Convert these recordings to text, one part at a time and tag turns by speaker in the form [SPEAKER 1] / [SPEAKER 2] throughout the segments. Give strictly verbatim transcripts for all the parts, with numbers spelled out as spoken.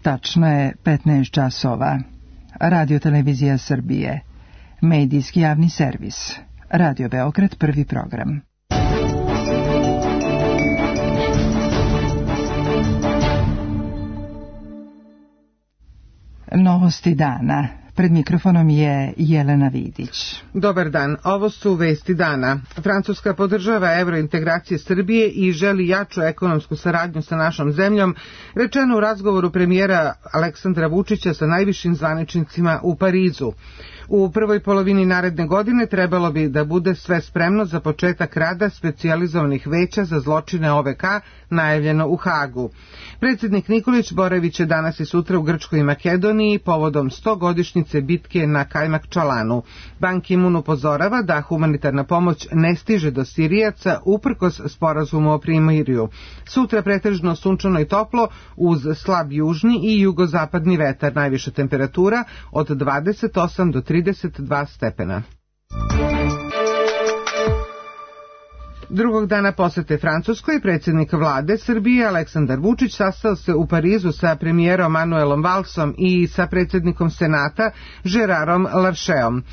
[SPEAKER 1] Tačno je petnaest časova. Radio Televizija Srbije. Medijski javni servis. Radio Beograd, prvi program. Novosti dana. Pred mikrofonom je Jelena Vidić.
[SPEAKER 2] Dobar dan, ovo su vesti dana. Francuska podržava evrointegracije Srbije i želi jaču ekonomsku saradnju sa našom zemljom, rečeno u razgovoru premijera Aleksandra Vučića sa najvišim zvaničnicima u Parizu. U prvoj polovini naredne godine trebalo bi da bude sve spremno za početak rada specijalizovanih veća za zločine O V K, najavljeno u Hagu. Predsjednik Nikolić boraviće danas i sutra u Grčkoj i Makedoniji povodom stogodišnjice bitke na Kajmakčalanu. Ban Ki-moon upozorava da humanitarna pomoć ne stiže do Sirijaca uprkos sporazumu o primirju. Sutra pretežno sunčano i toplo uz slab južni i jugozapadni vetar, najviša temperatura od dvadeset osam do trideset dva stepena. Drugog dana posete Francuskoj predsjednik vlade Srbije Aleksandar Vučić sastao se u Parizu sa premijerom Manuelom Valsom i sa predsjednikom Senata Gérardom Larchetom.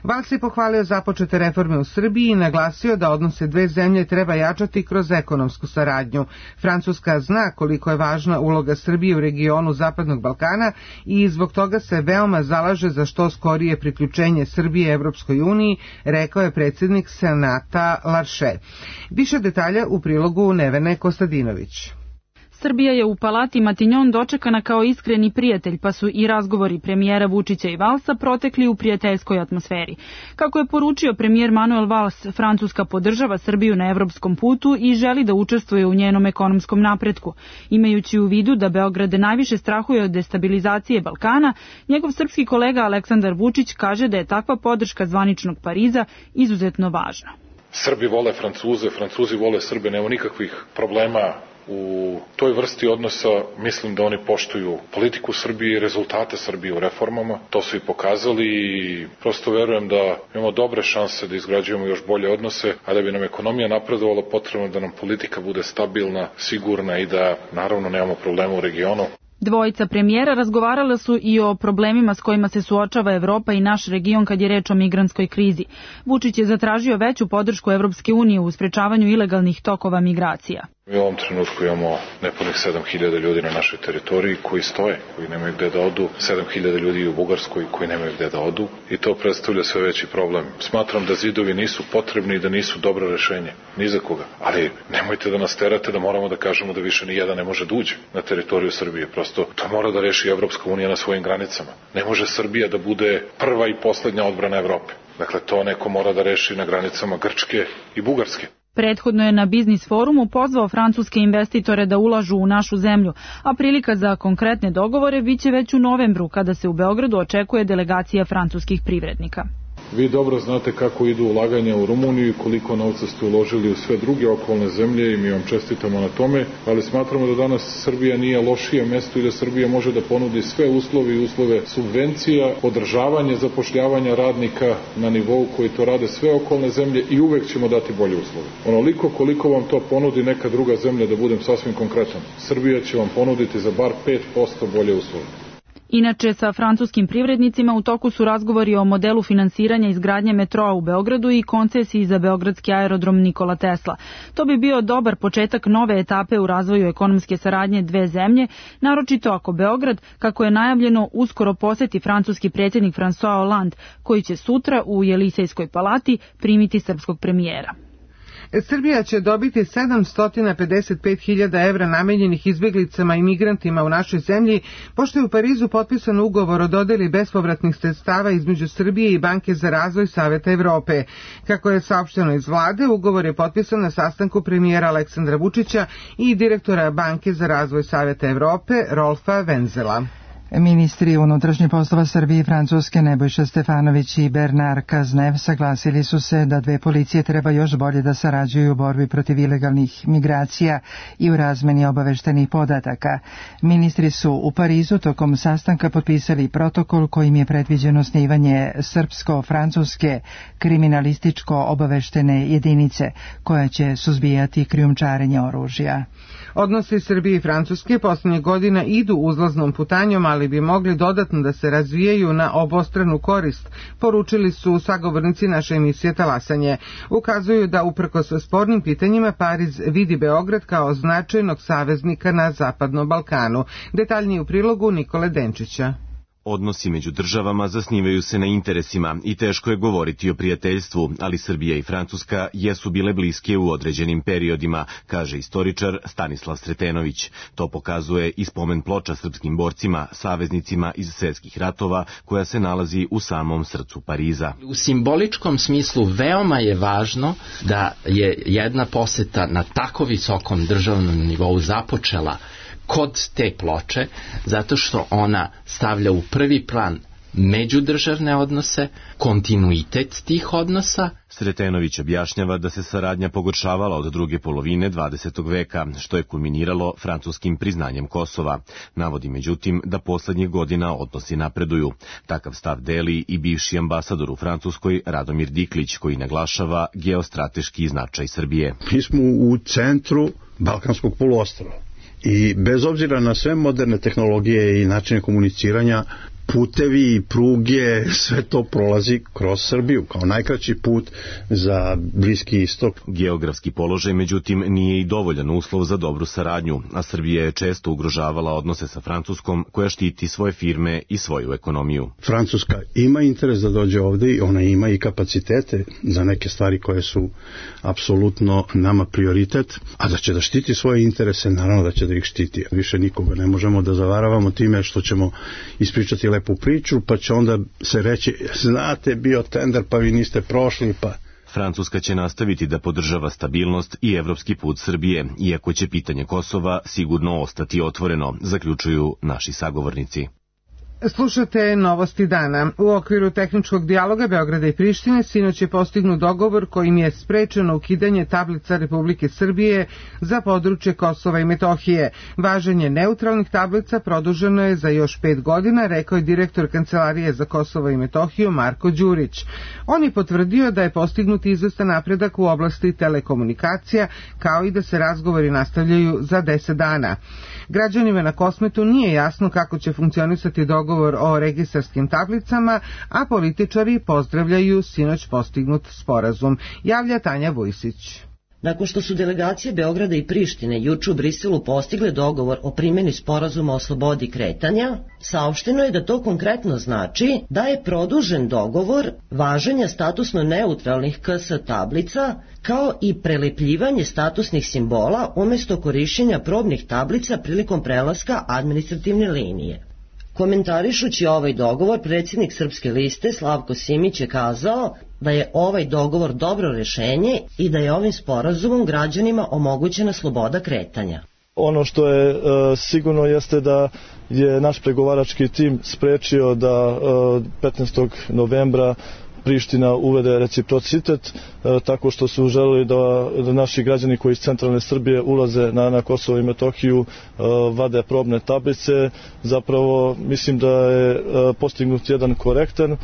[SPEAKER 2] Vals je pohvalio započete reforme u Srbiji i naglasio da odnose dve zemlje treba jačati kroz ekonomsku saradnju. Francuska zna koliko je važna uloga Srbije u regionu Zapadnog Balkana i zbog toga se veoma zalaže za što skorije priključenje Srbije Evropskoj uniji, rekao je predsjednik Senata Larchet. Više detalja u prilogu Nevene Kostadinović.
[SPEAKER 3] Srbija je u Palati Matignon dočekana kao iskreni prijatelj, pa su i razgovori premijera Vučića i Valsa protekli u prijateljskoj atmosferi. Kako je poručio premijer Manuel Valls, Francuska podržava Srbiju na evropskom putu i želi da učestvuje u njenom ekonomskom napretku. Imajući u vidu da Beograd najviše strahuje od destabilizacije Balkana, njegov srpski kolega Aleksandar Vučić kaže da je takva podrška zvaničnog Pariza izuzetno važna.
[SPEAKER 4] Srbi vole Francuze, Francuzi vole Srbe, nema nikakvih problema u toj vrsti odnosa. Mislim da oni poštuju politiku Srbije i rezultate Srbije u reformama. To su i pokazali i prosto verujem da imamo dobre šanse da izgrađujemo još bolje odnose, a da bi nam ekonomija napredovala potrebno da nam politika bude stabilna, sigurna i da naravno nemamo problema u regionu.
[SPEAKER 3] Dvojica premijera razgovarala su i o problemima s kojima se suočava Evropa i naš region kad je reč o migrantskoj krizi. Vučić je zatražio veću podršku Evropske unije u sprečavanju ilegalnih tokova migracija.
[SPEAKER 4] Mi u ovom trenutku imamo nepunih sedam hiljada ljudi na našoj teritoriji koji stoje, koji nemaju gde da odu, sedam hiljada ljudi u Bugarskoj koji nemaju gde da odu i to predstavlja sve veći problem. Smatram da zidovi nisu potrebni i da nisu dobro rešenje, ni za koga. Ali nemojte da nas terate da moramo da kažemo da više ni jedan ne može da uđe na teritoriju Srbije. Prosto to mora da reši Evropska unija na svojim granicama. Ne može Srbija da bude prva i poslednja odbrana Evrope. Dakle, to neko mora da reši na granicama Grčke i Bugarske.
[SPEAKER 3] Prethodno je na Biznis forumu pozvao francuske investitore da ulažu u našu zemlju, a prilika za konkretne dogovore biće već u novembru, kada se u Beogradu očekuje delegacija francuskih privrednika.
[SPEAKER 5] Vi dobro znate kako idu ulaganja u Rumuniju i koliko novca ste uložili u sve druge okolne zemlje i mi vam čestitamo na tome, ali smatramo da danas Srbija nije lošije mesto i da Srbija može da ponudi sve uslove i uslove subvencija, podržavanje zapošljavanja radnika na nivou koji to rade sve okolne zemlje i uvek ćemo dati bolje uslove. Onoliko koliko vam to ponudi neka druga zemlja, da budem sasvim konkretan, Srbija će vam ponuditi za bar pet posto bolje uslove.
[SPEAKER 3] Inače, sa francuskim privrednicima u toku su razgovori o modelu finansiranja izgradnje metroa u Beogradu i koncesiji za beogradski aerodrom Nikola Tesla. To bi bio dobar početak nove etape u razvoju ekonomske saradnje dve zemlje, naročito ako Beograd, kako je najavljeno, uskoro poseti francuski predsjednik François Hollande, koji će sutra u Jelisejskoj palati primiti srpskog premijera.
[SPEAKER 2] Srbija će dobiti sedamsto pedeset pet hiljada evra namenjenih izbjeglicama i migrantima u našoj zemlji, pošto je u Parizu potpisan ugovor o dodeli bespovratnih sredstava između Srbije i Banke za razvoj Saveta Evrope. Kako je saopšteno iz vlade, ugovor je potpisan na sastanku premijera Aleksandra Vučića i direktora Banke za razvoj Saveta Evrope Rolfa Wenzela.
[SPEAKER 1] Ministri unutrašnjih poslova Srbije i Francuske Nebojša Stefanović i Bernard Cazeneuve saglasili su se da dve policije treba još bolje da sarađuju u borbi protiv ilegalnih migracija i u razmeni obaveštenih podataka. Ministri su u Parizu tokom sastanka potpisali protokol kojim je predviđeno osnivanje srpsko-francuske kriminalističko-obaveštene jedinice koja će suzbijati krijumčarenje oružja.
[SPEAKER 2] Odnosi Srbije i Francuske posljednjih godina idu uzlaznom putanjom, ali bi mogli dodatno da se razvijaju na obostranu korist, poručili su sagovornici naše emisije Talasanje. Ukazuju da uprkos spornim pitanjima Pariz vidi Beograd kao značajnog saveznika na Zapadnom Balkanu. Detaljnije u prilogu Nikole Denčića.
[SPEAKER 6] Odnosi među državama zasnivaju se na interesima i teško je govoriti o prijateljstvu, ali Srbija i Francuska jesu bile bliske u određenim periodima, kaže istoričar Stanislav Sretenović. To pokazuje i spomen ploča srpskim borcima, saveznicima iz svjetskih ratova, koja se nalazi u samom srcu Pariza.
[SPEAKER 7] U simboličkom smislu veoma je važno da je jedna poseta na tako visokom državnom nivou započela kod te ploče, zato što ona stavlja u prvi plan međudržavne odnose, kontinuitet tih odnosa.
[SPEAKER 6] Sretenović objašnjava da se saradnja pogoršavala od druge polovine dvadesetog veka, što je kulminiralo francuskim priznanjem Kosova. Navodi međutim da poslednjih godina odnosi napreduju. Takav stav deli i bivši ambasador u Francuskoj Radomir Diklić, koji naglašava geostrateški značaj Srbije.
[SPEAKER 8] Mi smo u centru Balkanskog poluostrva. I bez obzira na sve moderne tehnologije i načine komuniciranja, putevi i pruge, sve to prolazi kroz Srbiju kao najkraći put za Bliski istok.
[SPEAKER 6] Geografski položaj, međutim, nije i dovoljan uslov za dobru saradnju, a Srbija je često ugrožavala odnose sa Francuskom, koja štiti svoje firme i svoju ekonomiju.
[SPEAKER 8] Francuska ima interes da dođe ovde i ona ima i kapacitete za neke stvari koje su apsolutno nama prioritet, a da će da štiti svoje interese, naravno da će da ih štiti. Više nikoga ne možemo da zavaravamo time što ćemo ispričati lepu priču, pa će onda se reći, znate, bio tender, pa vi niste prošli, pa...
[SPEAKER 6] Francuska će nastaviti da podržava stabilnost i evropski put Srbije, iako će pitanje Kosova sigurno ostati otvoreno, zaključuju naši sagovornici.
[SPEAKER 2] Slušate Novosti dana. U okviru tehničkog dijaloga Beograda i Prištine sinoć je postignut dogovor kojim je sprečeno ukidanje tablica Republike Srbije za područje Kosova i Metohije. Važenje neutralnih tablica produženo je za još pet godina, rekao je direktor Kancelarije za Kosovo i Metohiju Marko Đurić. On je potvrdio da je postignut izvestan napredak u oblasti telekomunikacija, kao i da se razgovori nastavljaju za deset dana. Građanima na Kosmetu nije jasno kako će funkcionisati dogovor o registarskim tablicama, a političari pozdravljaju sinoć postignut sporazum, javlja Tanja Vujsić.
[SPEAKER 9] Nakon što su delegacije Beograda i Prištine juče u Briselu postigle dogovor o primjeni sporazuma o slobodi kretanja, saopšteno je da to konkretno znači da je produžen dogovor važenja statusno neutralnih K S tablica, kao i prelepljivanje statusnih simbola umjesto korišćenja probnih tablica prilikom prelaska administrativne linije. Komentarišući ovaj dogovor, predsjednik Srpske liste Slavko Simić je kazao da je ovaj dogovor dobro rješenje i da je ovim sporazumom građanima omogućena sloboda kretanja.
[SPEAKER 10] Ono što je e, sigurno jeste da je naš pregovarački tim sprečio da e, petnaestog novembra Priština uvede reciprocitet, e, tako što su želeli da, da naši građani koji iz centralne Srbije ulaze na, na Kosovo i Metohiju e, vade probne tablice. Zapravo mislim da je e, postignut jedan korektan e,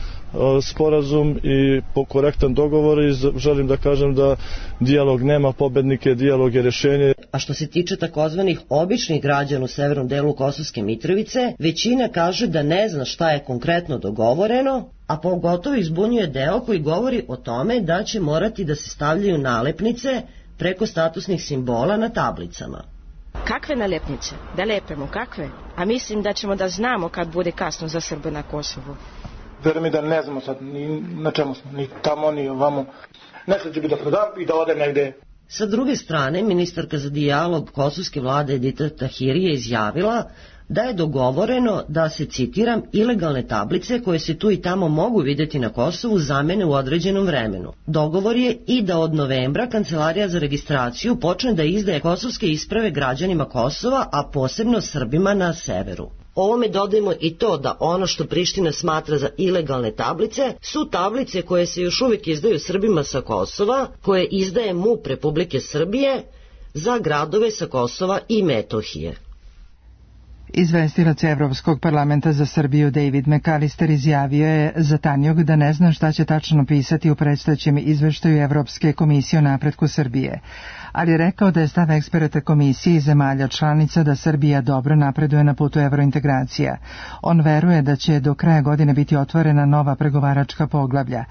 [SPEAKER 10] sporazum i po korektan dogovor i želim da kažem da dijalog nema pobednike, dijalog je rješenje.
[SPEAKER 9] A što se tiče takozvanih običnih građana u severnom delu Kosovske Mitrovice, većina kaže da ne zna šta je konkretno dogovoreno, a pogotovo izbunjuje deo koji govori o tome da će morati da se stavljaju nalepnice preko statusnih simbola na tablicama.
[SPEAKER 11] Kakve nalepnice? Da lepemo, kakve? A mislim da ćemo da znamo kad bude kasno za Srbe na Kosovu.
[SPEAKER 12] Verujem mi da ne znamo sad ni na čemu smo, ni tamo, ni ovamo. Nešto će bi da prodam i da ode negde.
[SPEAKER 9] Sa druge strane, ministarka za dijalog kosovske vlade Edita Tahiri je izjavila da je dogovoreno da se, citiram, ilegalne tablice koje se tu i tamo mogu vidjeti na Kosovu zamene u određenom vremenu. Dogovor je i da od novembra Kancelarija za registraciju počne da izdaje kosovske isprave građanima Kosova, a posebno Srbima na severu. Ovome dodajemo i to da ono što Priština smatra za ilegalne tablice su tablice koje se još uvijek izdaju Srbima sa Kosova, koje izdaje M U P Republike Srbije za gradove sa Kosova i Metohije.
[SPEAKER 1] Izvestilac Evropskog parlamenta za Srbiju David McAllister izjavio je za Tanjug da ne zna šta će tačno pisati u predstojećem izveštaju Evropske komisije o napretku Srbije, ali je rekao da je stav eksperata komisije i zemalja članica da Srbija dobro napreduje na putu evrointegracija. On veruje da će do kraja godine biti otvorena nova pregovaračka poglavlja.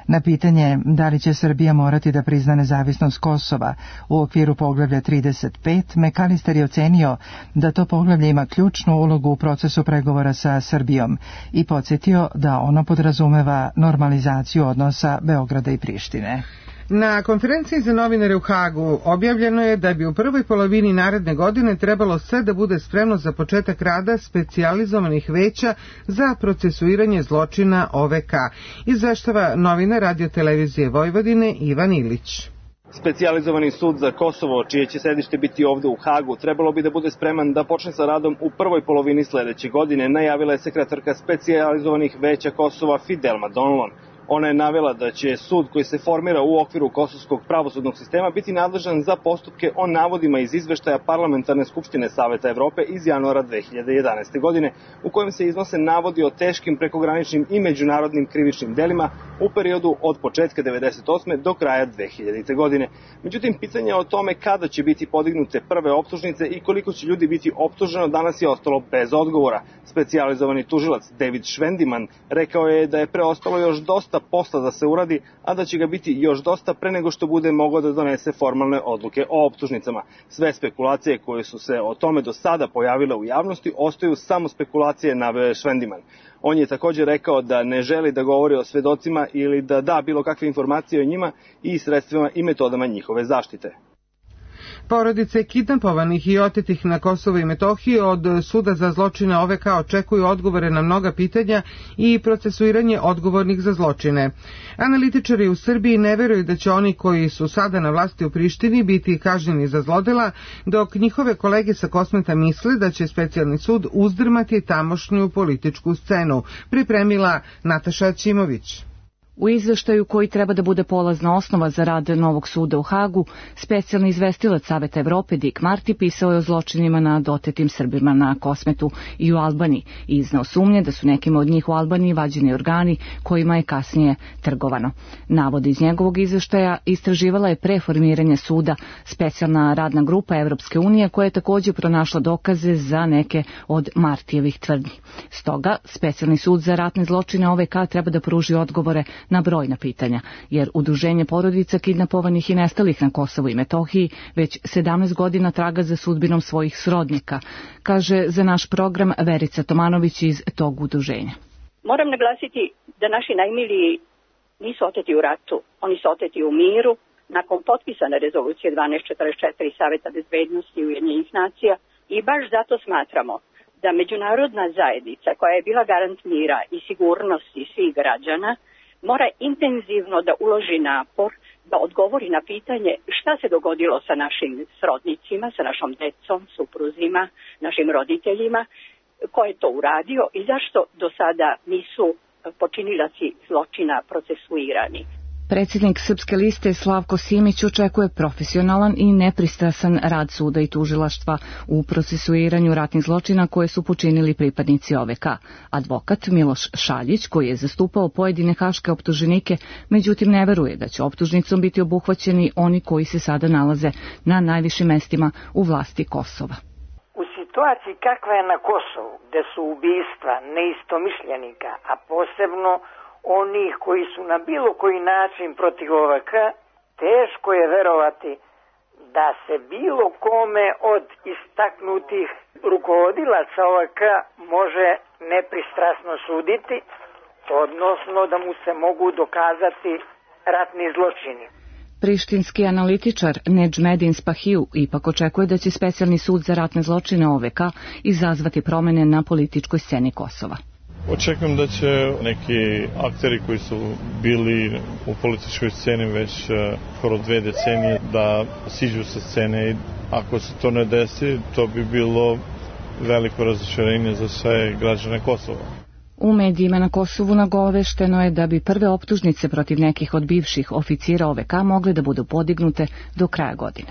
[SPEAKER 1] Na pitanje da li će Srbija morati da prizna nezavisnost Kosova u okviru poglavlja trideset pet, McAllister je ocenio da to poglavlje ima ključnu ulogu u procesu pregovora sa Srbijom i podsjetio da ono podrazumeva normalizaciju odnosa Beograda i Prištine.
[SPEAKER 2] Na konferenciji za novinare u Hagu objavljeno je da bi u prvoj polovini naredne godine trebalo sve da bude spremno za početak rada specijalizovanih veća za procesuiranje zločina O V K. Izveštava novinar Radio-televizije Vojvodine Ivan Ilić.
[SPEAKER 13] Specijalizovani sud za Kosovo, čije će sedište biti ovde u Hagu, trebalo bi da bude spreman da počne sa radom u prvoj polovini sledeće godine, najavila je sekretarka specijalizovanih veća Kosova Fidelma Donlon. Ona je navela da će sud koji se formira u okviru kosovskog pravosudnog sistema biti nadležan za postupke o navodima iz izveštaja Parlamentarne skupštine Saveta Evrope iz januara dve hiljade jedanaeste. godine, u kojem se iznose navodi o teškim prekograničnim i međunarodnim krivičnim delima u periodu od početka devedeset osme do kraja dve hiljadite. godine. Međutim, pitanje o tome kada će biti podignute prve optužnice i koliko će ljudi biti optuženo danas je ostalo bez odgovora. Specijalizovani tužilac David Švendiman rekao je da je preostalo još dosta posla da se uradi, a da će ga biti još dosta pre nego što bude mogao da donese formalne odluke o optužnicama. Sve spekulacije koje su se o tome do sada pojavile u javnosti ostaju samo spekulacije, naveo je Švendiman. On je također rekao da ne želi da govori o svedocima ili da da bilo kakve informacije o njima i sredstvima i metodama njihove zaštite.
[SPEAKER 2] Porodice kidnapovanih i otetih na Kosovo i Metohiji od Suda za zločine O V K očekuju odgovore na mnoga pitanja i procesuiranje odgovornih za zločine. Analitičari u Srbiji ne veruju da će oni koji su sada na vlasti u Prištini biti kažnjeni za zlodela, dok njihove kolege sa Kosmeta misle da će specijalni sud uzdrmati tamošnju političku scenu, pripremila Nataša Ćimović.
[SPEAKER 14] U izveštaju koji treba da bude polazna osnova za rad novog suda u Hagu, specijalni izvestilac Saveta Evrope Dick Marty pisao je o zločinima nad otetim Srbima na Kosmetu i u Albaniji i izneo sumnje da su nekima od njih u Albaniji vađeni organi kojima je kasnije trgovano. Navode iz njegovog izveštaja istraživala je pre formiranja suda specijalna radna grupa Evropske unije koja je također pronašla dokaze za neke od Martijevih tvrdnji. Stoga, specijalni sud za ratne zločine O V K treba da pruži odgovore na brojna pitanja, jer udruženje porodica kidnapovanih i nestalih na Kosovu i Metohiji već sedamnaest godina traga za sudbinom svojih srodnika, kaže za naš program Verica Tomanović iz tog udruženja.
[SPEAKER 15] Moram naglasiti da naši najmiliji nisu oteti u ratu, oni su oteti u miru, nakon potpisane rezolucije dvanaest četrdeset četiri Saveta bezbednosti Ujedinjenih nacija i baš zato smatramo da međunarodna zajednica koja je bila garant mira i sigurnosti svih građana mora intenzivno da uloži napor da odgovori na pitanje šta se dogodilo sa našim srodnicima, sa našom decom, supruzima, našim roditeljima, ko je to uradio i zašto do sada nisu počinilaci zločina procesuirani.
[SPEAKER 14] Predsjednik Srpske liste Slavko Simić očekuje profesionalan i nepristrasan rad suda i tužilaštva u procesuiranju ratnih zločina koje su počinili pripadnici O V K. Advokat Miloš Šaljić, koji je zastupao pojedine haške optuženike, međutim ne veruje da će optužnicom biti obuhvaćeni oni koji se sada nalaze na najvišim mestima u vlasti Kosova.
[SPEAKER 16] U situaciji kakva je na Kosovu, gde su ubistva neistomišljenika, a posebno onih koji su na bilo koji način protiv O V K, teško je verovati da se bilo kome od istaknutih rukovodilaca O V K može nepristrasno suditi, odnosno da mu se mogu dokazati ratni zločini.
[SPEAKER 14] Prištinski analitičar Nedžmedin Spahiju ipak očekuje da će specijalni sud za ratne zločine O V K izazvati promene na političkoj sceni Kosova.
[SPEAKER 10] Očekujem da će neki akteri koji su bili u političkoj sceni već skoro dve decenije da siđu sa scene i ako se to ne desi, to bi bilo veliko razočarenje za sve građane Kosova.
[SPEAKER 14] U medijima na Kosovu nagovešteno je da bi prve optužnice protiv nekih od bivših oficira O V K mogle da budu podignute do kraja godine.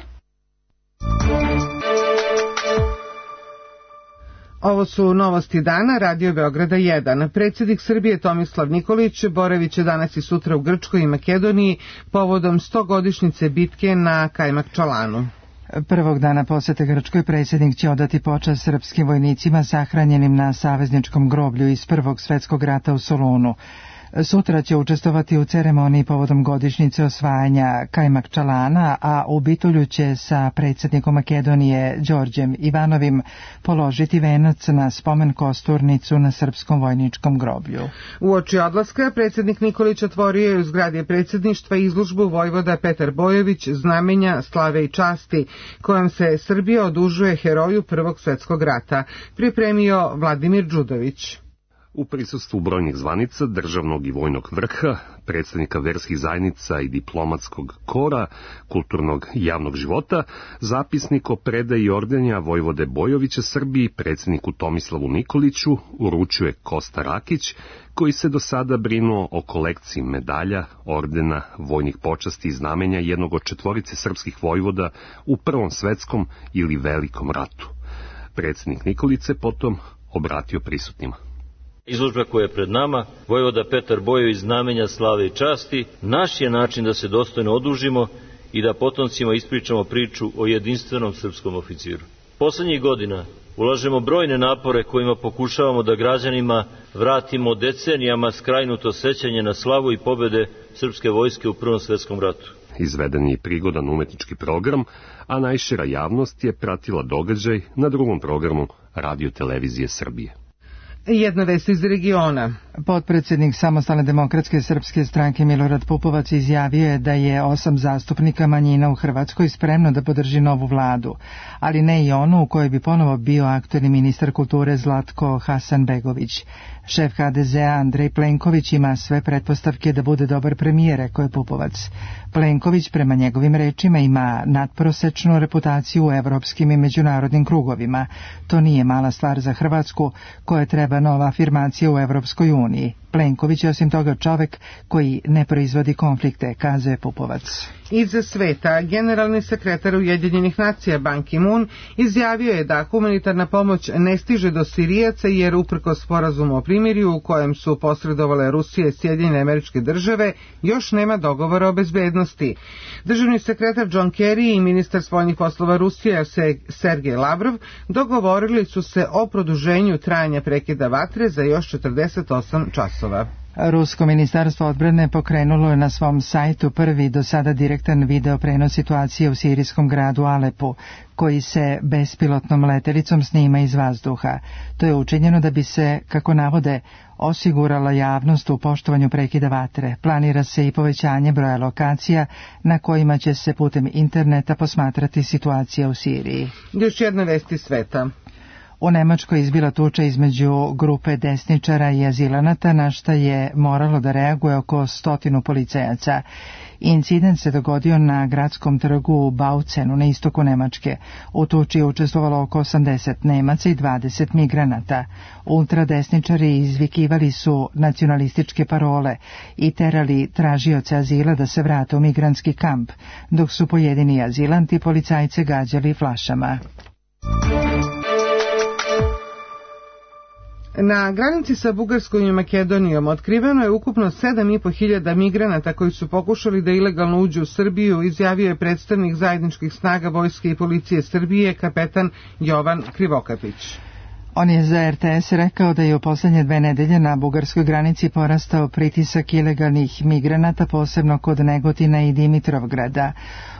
[SPEAKER 2] Ovo su novosti dana, Radio Beograda jedan. Predsjednik Srbije Tomislav Nikolić boraviće danas i sutra u Grčkoj i Makedoniji povodom stogodišnjice bitke na Kajmakčalanu.
[SPEAKER 1] Prvog dana posete Grčkoj predsjednik će odati počast srpskim vojnicima sahranjenim na savezničkom groblju iz Prvog svjetskog rata u Solunu. Sutra će učestvovati u ceremoniji povodom godišnjice osvajanja Kajmakčalana, a u Bitolju će sa predsjednikom Makedonije Đorđem Ivanovim položiti venac na spomen kosturnicu na srpskom vojničkom groblju.
[SPEAKER 2] Uoči odlaska predsjednik Nikolić otvorio je u zgradi predsjedništva izložbu vojvoda Petar Bojović znamenja slave i časti, kojom se Srbija odužuje heroju Prvog svjetskog rata, pripremio Vladimir Đudović.
[SPEAKER 17] U prisustvu brojnih zvanica, državnog i vojnog vrha, predstavnika verskih zajednica i diplomatskog kora, kulturnog i javnog života, zapisnik o predaji ordenja Vojvode Bojovića Srbiji predsjedniku Tomislavu Nikoliću uručuje Kosta Rakić, koji se do sada brinuo o kolekciji medalja, ordena, vojnih počasti i znamenja jednog od četvorice srpskih vojvoda u Prvom svetskom ili Velikom ratu. Predsjednik Nikolić se potom obratio prisutnima.
[SPEAKER 18] Izložba koja je pred nama, vojvoda Petar Bojović znamenja slave i časti, naš je način da se dostojno odužimo i da potomcima ispričamo priču o jedinstvenom srpskom oficiru. Poslednjih godina ulažemo brojne napore kojima pokušavamo da građanima vratimo decenijama skrajnuto sećanje na slavu i pobede srpske vojske u Prvom svetskom ratu.
[SPEAKER 17] Izveden je prigodan umetnički program, a najšira javnost je pratila događaj na drugom programu Radio Televizije Srbije.
[SPEAKER 2] Jedna vest iz regiona.
[SPEAKER 1] Potpredsjednik Samostalne demokratske srpske stranke Milorad Pupovac izjavio je da je osam zastupnika manjina u Hrvatskoj spremno da podrži novu vladu, ali ne i onu u kojoj bi ponovo bio aktuelni ministar kulture Zlatko Hasanbegović. Šef H D Z A Andrej Plenković ima sve pretpostavke da bude dobar premijer, rekao je Pupovac. Plenković, prema njegovim rečima, ima nadprosečnu reputaciju u evropskim i međunarodnim krugovima. To nije mala stvar za Hrvatsku, koja treba nova afirmacija u Evropskoj uniji. Plenković je osim toga čovek koji ne proizvodi konflikte, kazuje Pupovac.
[SPEAKER 2] Iz sveta, generalni sekretar Ujedinjenih nacija Ban Ki-moon izjavio je da humanitarna pomoć ne stiže do Sirijaca jer uprkos sporazumu o primirju u kojem su posredovale Rusija i Sjedinjene Američke Države još nema dogovora o bezbednosti. Državni sekretar John Kerry i ministar spoljnih poslova Rusije Sergej Lavrov dogovorili su se o produženju trajanja prekida vatre za još četrdeset osam časova.
[SPEAKER 1] Rusko ministarstvo odbrane pokrenulo je na svom sajtu prvi do sada direktan video prenos situacije u sirijskom gradu Alepu, koji se bespilotnom letelicom snima iz vazduha. To je učinjeno da bi se, kako navode, osigurala javnost u poštovanju prekida vatre. Planira se i povećanje broja lokacija na kojima će se putem interneta posmatrati situacija u Siriji.
[SPEAKER 2] Još jedna vest iz sveta.
[SPEAKER 1] U Nemačkoj izbila tuča između grupe desničara i azilanata, na šta je moralo da reaguje oko stotinu policajaca. Incident se dogodio na gradskom trgu u Baucenu na istoku Nemačke. U tuči je učestvovalo oko osamdeset Nemaca i dvadeset migranata. Ultradesničari izvikivali su nacionalističke parole i terali tražioce azila da se vrate u migrantski kamp, dok su pojedini azilanti policajce gađali flašama.
[SPEAKER 2] Na granici sa Bugarskom i Makedonijom otkriveno je ukupno sedam i po hiljada migranata koji su pokušali da ilegalno uđu u Srbiju, izjavio je predstavnik zajedničkih snaga vojske i policije Srbije, kapetan Jovan Krivokapić.
[SPEAKER 1] On je za R T S rekao da je u poslednje dve nedelje na bugarskoj granici porastao pritisak ilegalnih migranata, posebno kod Negotina i Dimitrovgrada.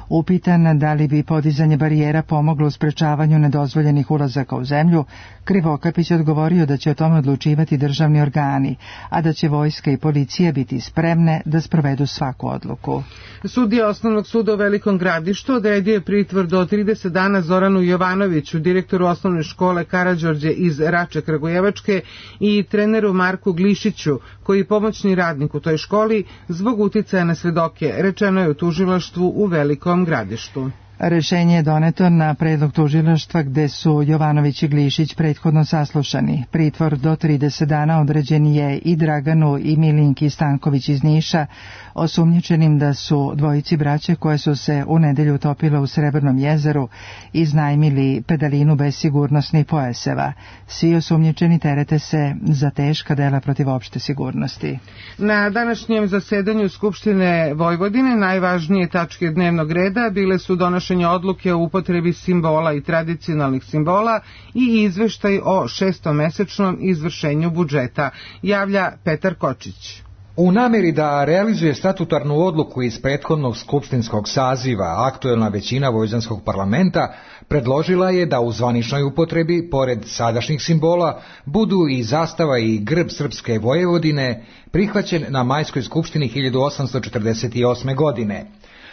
[SPEAKER 1] Upitan da li bi podizanje barijera pomoglo u sprečavanju nedozvoljenih ulazaka u zemlju, Krivokapić odgovorio da će o tome odlučivati državni organi, a da će vojska i policija biti spremne da sprovedu svaku odluku.
[SPEAKER 2] Sudija Osnovnog suda u Velikom Gradištu odredio je pritvor do trideset dana Zoranu Jovanoviću, direktoru osnovne škole Karađorđe iz Rače Kragujevačke, i treneru Marku Glišiću, koji je pomoćni radnik u toj školi, zbog uticaja na svedoke, rečeno je u tužilaštvu u Velikom Gradištu.
[SPEAKER 1] Rešenje je doneto na predlog tužilaštva gde su Jovanović i Glišić prethodno saslušani. Pritvor do trideset dana određen je i Draganu i Milinki Stanković iz Niša, osumnjičenim da su dvojici braće koje su se u nedelju utopile u Srebrnom jezeru iznajmili pedalinu bez sigurnosnih pojaseva. Svi osumnjičeni terete se za teška dela protiv opšte sigurnosti.
[SPEAKER 2] Na današnjem zasedanju Skupštine Vojvodine najvažnije tačke dnevnog reda bile su donošenje odluke o upotrebi simbola i tradicionalnih simbola i izveštaj o šestomesečnom izvršenju budžeta, javlja Petar Kočić.
[SPEAKER 19] U nameri da realizuje statutarnu odluku iz prethodnog skupštinskog saziva, aktuelna većina vojvođanskog parlamenta predložila je da u zvaničnoj upotrebi, pored sadašnjih simbola, budu i zastava i grb Srpske Vojvodine, prihvaćen na Majskoj skupštini hiljadu osamsto četrdeset osme. godine.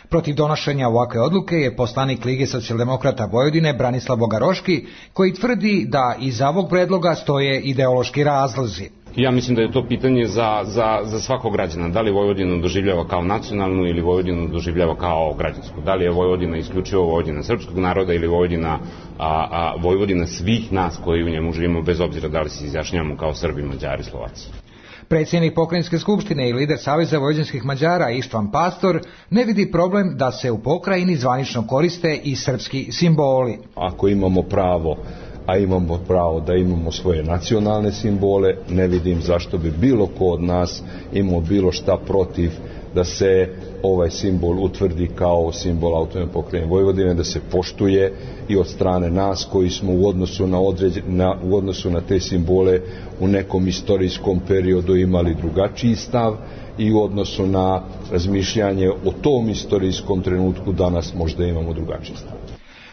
[SPEAKER 19] Protiv donošenja ovakve odluke je poslanik Lige socijaldemokrata Vojvodine Branislav Bogaroški, koji tvrdi da iza ovog predloga stoje ideološki razlozi.
[SPEAKER 20] Ja mislim da je to pitanje za, za, za svakog građana. Da li Vojvodinu doživljava kao nacionalnu ili Vojvodinu doživljava kao građansku? Da li je Vojvodina isključivo Vojvodina srpskog naroda ili Vojvodina, a, a, Vojvodina svih nas koji u njemu živimo, bez obzira da li se izjašnjavamo kao Srbi, Mađari, Slovaci?
[SPEAKER 19] Predsjednik Pokrajinske skupštine i lider Saveza vojvođanskih Mađara Ištvan Pastor ne vidi problem da se u pokrajini zvanično koriste i srpski simboli.
[SPEAKER 21] Ako imamo pravo, a imamo pravo da imamo svoje nacionalne simbole, ne vidim zašto bi bilo ko od nas imao bilo šta protiv da se ovaj simbol utvrdi kao simbol autonomne pokrajine Vojvodine, da se poštuje i od strane nas koji smo u odnosu na, određen, na, u odnosu na te simbole u nekom istorijskom periodu imali drugačiji stav i u odnosu na razmišljanje o tom istorijskom trenutku danas možda imamo drugačiji stav.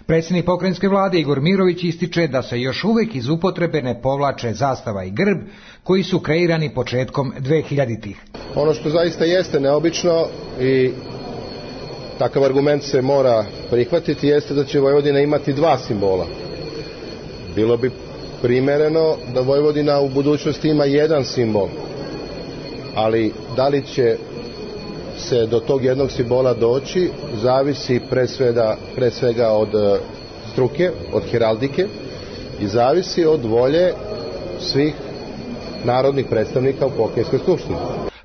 [SPEAKER 19] Predsjednik pokrajinske vlade Igor Mirović ističe da se još uvijek iz upotrebe ne povlače zastava i grb koji su kreirani početkom dvehiljaditih.
[SPEAKER 22] Ono što zaista jeste neobično i takav argument se mora prihvatiti jeste da će Vojvodina imati dva simbola. Bilo bi primereno da Vojvodina u budućnosti ima jedan simbol, ali da li će se do tog jednog simbola doći zavisi pre svega, pre svega od struke, od heraldike i zavisi od volje svih narodnih predstavnika u pokrajinskoj skupštini.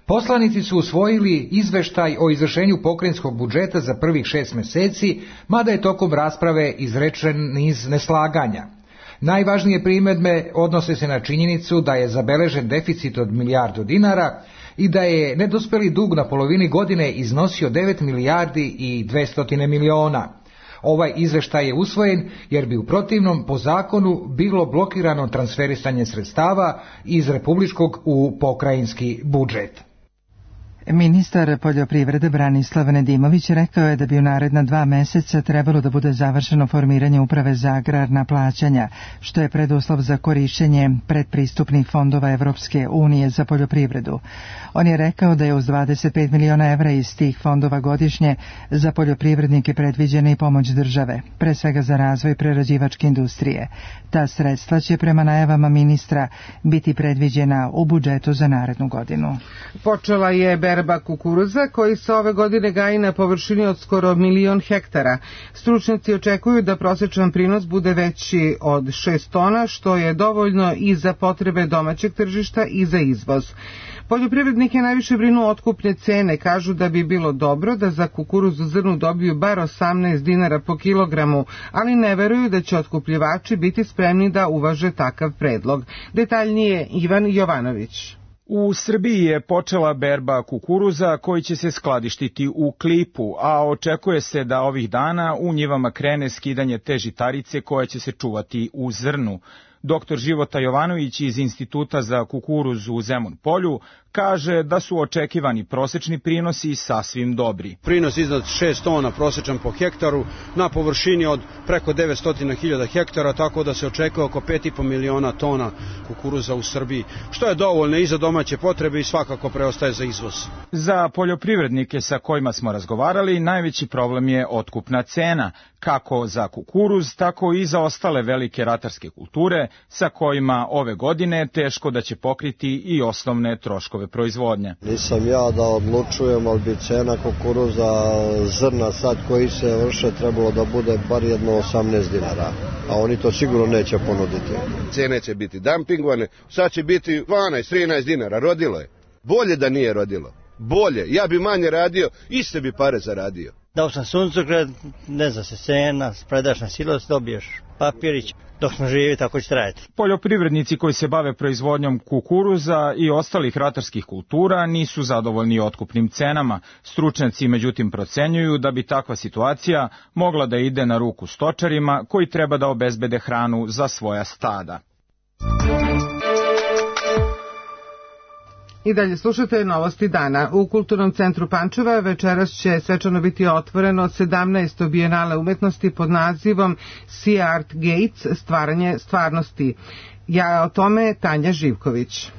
[SPEAKER 19] Poslanici su usvojili izveštaj o izvršenju pokrajinskog budžeta za prvih šest meseci, mada je tokom rasprave izrečen niz neslaganja. Najvažnije primjedbe odnose se na činjenicu da je zabeležen deficit od milijardu dinara i da je nedospeli dug na polovini godine iznosio devet milijardi i dvesta miliona. Ovaj izveštaj je usvojen jer bi u protivnom po zakonu bilo blokirano transferisanje sredstava iz republičkog u pokrajinski budžet.
[SPEAKER 1] Ministar poljoprivrede Branislav Nedimović rekao je da bi u naredna dva meseca trebalo da bude završeno formiranje uprave za agrarna plaćanja, što je preduslov za korišćenje predpristupnih fondova Evropske unije za poljoprivredu. On je rekao da je uz dvadeset pet miliona evra iz tih fondova godišnje za poljoprivrednike predviđena i pomoć države, pre svega za razvoj prerađivačke industrije. Ta sredstva će prema najavama ministra biti predviđena u budžetu za narednu godinu.
[SPEAKER 2] Počela je berba kukuruza koji se ove godine gaji na površini od skoro milion hektara. Stručnjaci očekuju da prosječan prinos bude veći od šest tona, što je dovoljno i za potrebe domaćeg tržišta i za izvoz. Poljoprivrednike najviše brinu otkupne cene, kažu da bi bilo dobro da za kukuruzu zrnu dobiju bar osamnaest dinara po kilogramu, ali ne veruju da će otkupljivači biti spremni da uvaže takav predlog. Detaljnije Ivan Jovanović.
[SPEAKER 23] U Srbiji je počela berba kukuruza koji će se skladištiti u klipu, a očekuje se da ovih dana u njivama krene skidanje te žitarice koja će se čuvati u zrnu. Doktor Života Jovanović iz Instituta za kukuruz u Zemun Polju kaže da su očekivani prosečni prinosi sasvim dobri.
[SPEAKER 24] Prinos iznad šest tona prosečan po hektaru na površini od preko devetsto hiljada hektara, tako da se očekuje oko pet i po miliona tona kukuruza u Srbiji, što je dovoljno i za domaće potrebe i svakako preostaje za izvoz.
[SPEAKER 23] Za poljoprivrednike sa kojima smo razgovarali, najveći problem je otkupna cena, kako za kukuruz, tako i za ostale velike ratarske kulture, sa kojima ove godine teško da će pokriti i osnovne troškove proizvodnje.
[SPEAKER 3] Nisam ja da odlučujem, ali bi cena kukuruza zrna sad koji se vrše trebalo da bude bar jedno osamnaest dinara, a oni to sigurno neće ponuditi.
[SPEAKER 4] Cene će biti dumpingovane, sad će biti dvanaest trinaest dinara, rodilo je. Bolje da nije rodilo, bolje, ja bi manje radio, iste bi pare zaradio.
[SPEAKER 5] Dao sam suncokret, ne zna se cena, predaš na silos, dobiješ papirić, dok smo živi tako će trajati.
[SPEAKER 23] Poljoprivrednici koji se bave proizvodnjom kukuruza i ostalih ratarskih kultura nisu zadovoljni otkupnim cenama. Stručnjaci međutim procenjuju da bi takva situacija mogla da ide na ruku stočarima koji treba da obezbede hranu za svoja stada.
[SPEAKER 2] I dalje slušate novosti dana. U Kulturnom centru Pančeva večeras će svečano biti otvoreno sedamnaesto bijenale umetnosti pod nazivom Sea Art Gates, stvaranje stvarnosti. Ja o tome Tanja Živković.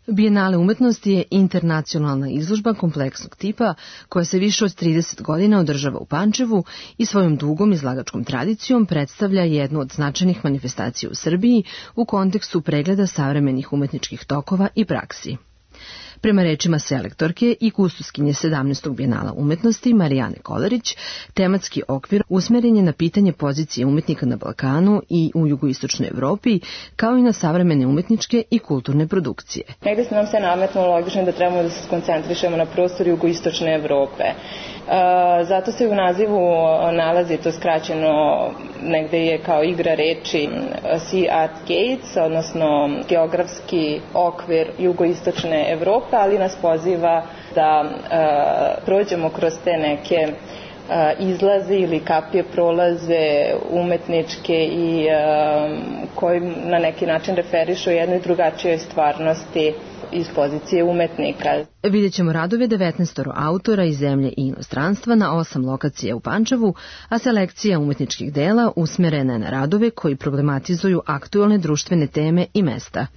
[SPEAKER 7] Bijenale umetnosti je internacionalna izložba kompleksnog tipa koja se više od trideset godina održava u Pančevu i svojom dugom izlagačkom tradicijom predstavlja jednu od značajnih manifestacija u Srbiji u kontekstu pregleda savremenih umetničkih tokova i praksi. Prema rečima selektorke i kustoskinje sedamnaestog bijenala umetnosti Marijane Kolarić, tematski okvir usmeren je na pitanje pozicije umetnika na Balkanu i u jugoistočnoj Evropi, kao i na savremene umetničke i kulturne produkcije.
[SPEAKER 25] Negde se nam se nametnulo logično da trebamo da se skoncentrišemo na prostor jugoistočne Evrope. Zato se u nazivu nalazi to skraćeno, negde je kao igra reči Sea Art Gates, odnosno geografski okvir jugoistočne Evrope, ali nas poziva da uh, prođemo kroz te neke uh, izlaze ili kapije prolaze umetničke i uh, koji na neki način referišu jednoj drugačijoj stvarnosti iz pozicije umetnika.
[SPEAKER 7] Vidjet ćemo radove devetnaest autora iz zemlje i inostranstva na osam lokacija u Pančevu, a selekcija umetničkih dela usmerena je na radove koji problematizuju aktualne društvene teme i mesta.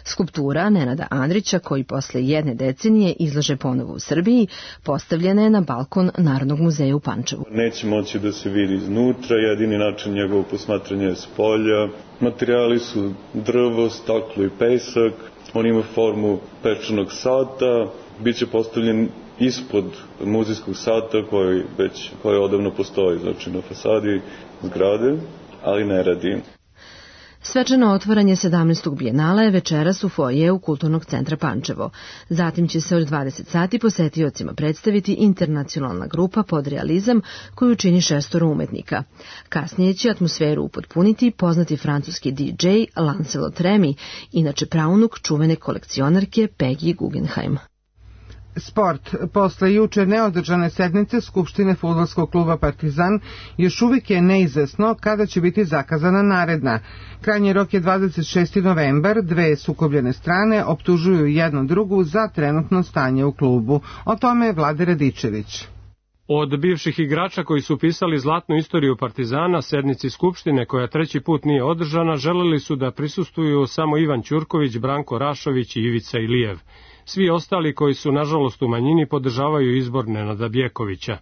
[SPEAKER 7] Skulptura Nenada Andrića, koji posle jedne decenije izlaže ponovo u Srbiji, postavljena je na balkon Narodnog muzeja u Pančevu.
[SPEAKER 26] Neće moći da se vidi iznutra, jedini način njegovog posmatranja je s polja. Materijali su drvo, staklo i pesak. On ima formu pečenog sata, bit će postavljen ispod muzejskog sata koji već koji odavno postoji, znači na fasadi zgrade, ali ne radi.
[SPEAKER 7] Svečano otvaranje sedamnaestog bijenala je večeras u foajeu Kulturnog centra Pančevo. Zatim će se od dvadeset sati posetiocima predstaviti internacionalna grupa Podrealizam koju čini šestoro umetnika. Kasnije će atmosferu upotpuniti poznati francuski D J Lancelot Remy, inače praunuk čuvene kolekcionarke Peggy Guggenheim.
[SPEAKER 2] Sport. Posle juče neodržane sednice Skupštine fudbalskog kluba Partizan još uvijek je neizvesno kada će biti zakazana naredna. Krajnji rok je dvadeset šesti novembar, dve sukobljene strane optužuju jednu drugu za trenutno stanje u klubu. O tome Vlade Radičević.
[SPEAKER 27] Od bivših igrača koji su pisali zlatnu istoriju Partizana, sednici Skupštine koja treći put nije održana, želeli su da prisustvuju samo Ivan Ćurković, Branko Rašović i Ivica Ilijev. Svi ostali koji su nažalost u manjini podržavaju izbor Nenada Bjekovića.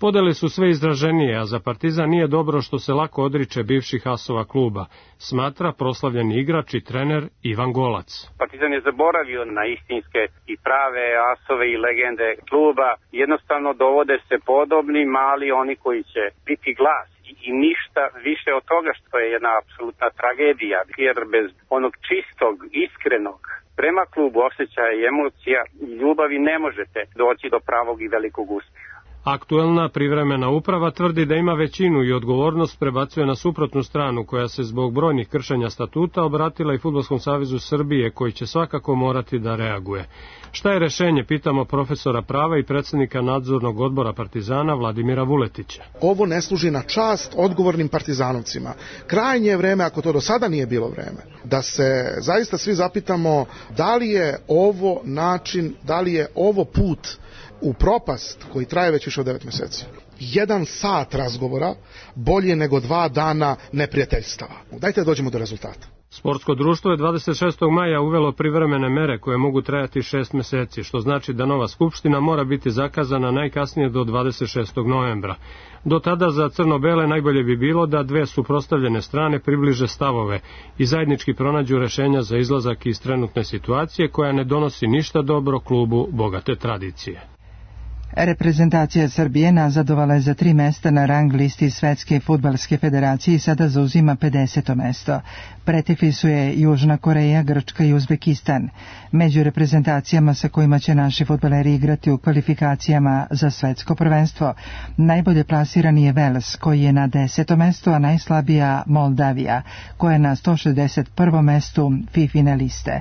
[SPEAKER 27] Podele su sve izraženije, a za Partizan nije dobro što se lako odriče bivših asova kluba, smatra proslavljeni igrač i trener Ivan Golac.
[SPEAKER 28] Partizan je zaboravio na istinske i prave asove i legende kluba. Jednostavno dovode se podobni, mali oni koji će biti glas. I ništa više od toga, što je jedna apsolutna tragedija, jer bez onog čistog, iskrenog prema klubu osjećaja i emocija i ljubavi ne možete doći do pravog i velikog uspjeha.
[SPEAKER 27] Aktuelna privremena uprava tvrdi da ima većinu i odgovornost prebacuje na suprotnu stranu koja se zbog brojnih kršenja statuta obratila i Fudbalskom savezu Srbije koji će svakako morati da reaguje. Šta je rešenje, pitamo profesora prava i predsjednika nadzornog odbora Partizana Vladimira Vuletića.
[SPEAKER 29] Ovo ne služi na čast odgovornim partizanovcima. Krajnje je vreme, ako to do sada nije bilo vreme, da se zaista svi zapitamo da li je ovo način, da li je ovo put u propast koji traje već više od devet mjeseci. Jedan sat razgovora bolje nego dva dana neprijateljstava. Dajte da dođemo do rezultata.
[SPEAKER 27] Sportsko društvo je dvadeset šestog maja uvelo privremene mere koje mogu trajati šest meseci, što znači da nova skupština mora biti zakazana najkasnije do dvadeset šestog novembra. Do tada za crno-bele najbolje bi bilo da dve suprotstavljene strane približe stavove i zajednički pronađu rešenja za izlazak iz trenutne situacije koja ne donosi ništa dobro klubu bogate tradicije.
[SPEAKER 1] Reprezentacija Srbije nazadovala je za tri mesta na rang listi Svetske fudbalske federacije i sada zauzima pedeseto mesto. Pretekli su je Južna Koreja, Grčka i Uzbekistan. Među reprezentacijama sa kojima će naši fudbaleri igrati u kvalifikacijama za svetsko prvenstvo, najbolje plasirani je Vels, koji je na desetom mestu, a najslabija Moldavija, koja je na sto šezdeset prvom mestu fifine liste.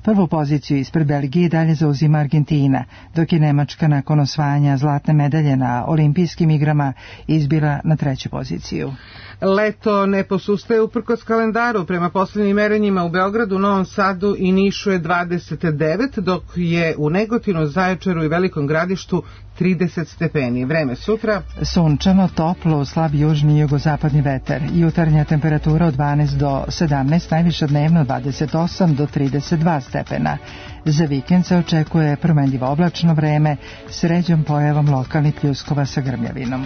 [SPEAKER 1] Prvu poziciju ispred Belgije dalje zauzima Argentina, dok je Nemačka nakon osvajanja zlatne medalje na olimpijskim igrama izbila na treću poziciju.
[SPEAKER 2] Leto ne posustaje uprkos kalendaru. Prema posljednjim merenjima u Beogradu, Novom Sadu i Nišu je dvadeset devet, dok je u Negotinu, Zaječaru i Velikom Gradištu trideset stepeni. Vreme sutra.
[SPEAKER 1] Sunčano, toplo, slab južni i jugozapadni vetar. Jutarnja temperatura od dvanaest do sedamnaest, najviša dnevno dvadeset osam do trideset dva stepena. Za vikend se očekuje promenljivo oblačno vreme s ređom pojavom lokalnih pljuskova sa grmljavinom.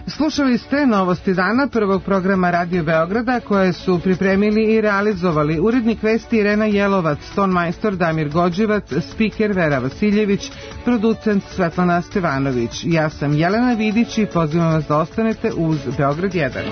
[SPEAKER 2] Slušali ste novosti dana prvog programa Radio Beograda koje su pripremili i realizovali urednik vesti Irena Jelovac, tonmajstor Damir Gođevac, spiker Vera Vasiljević, producent Svetlana Stevanović. Ja sam Jelena Vidić i pozivam vas da ostanete uz Beograd jedan.